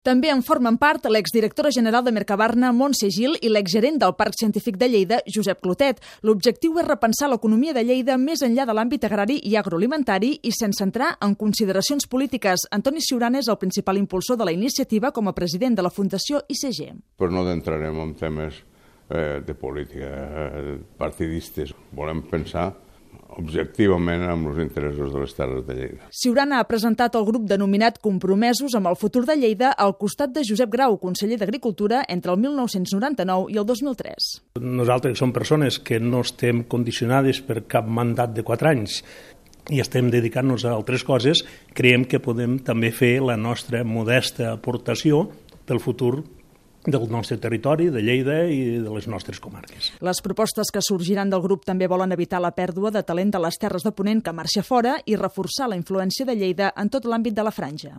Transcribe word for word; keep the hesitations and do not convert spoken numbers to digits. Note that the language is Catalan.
També en formen part l'exdirectora general de Mercabarna, Montse Gil, i l'exgerent del Parc Científic de Lleida, Josep Clotet. L'objectiu és repensar l'economia de Lleida més enllà de l'àmbit agrari i agroalimentari i sense entrar en consideracions polítiques. Antoni Ciurana és el principal impulsor de la iniciativa com a president de la Fundació I C G. Però no entrarem en temes eh, de política eh, partidistes. Volem pensar objectivament amb els interessos de les terres de Lleida. Ciurana ha presentat el grup denominat Compromesos amb el futur de Lleida al costat de Josep Grau, conseller d'Agricultura, entre el mil nou-cents noranta-nou i el dos mil tres. Nosaltres som persones que no estem condicionades per cap mandat de quatre anys i estem dedicant-nos a altres coses, creiem que podem també fer la nostra modesta aportació pel futur del nostre territori, de Lleida i de les nostres comarques. Les propostes que sorgiran del grup també volen evitar la pèrdua de talent de les terres de Ponent que marxa fora i reforçar la influència de Lleida en tot l'àmbit de la franja.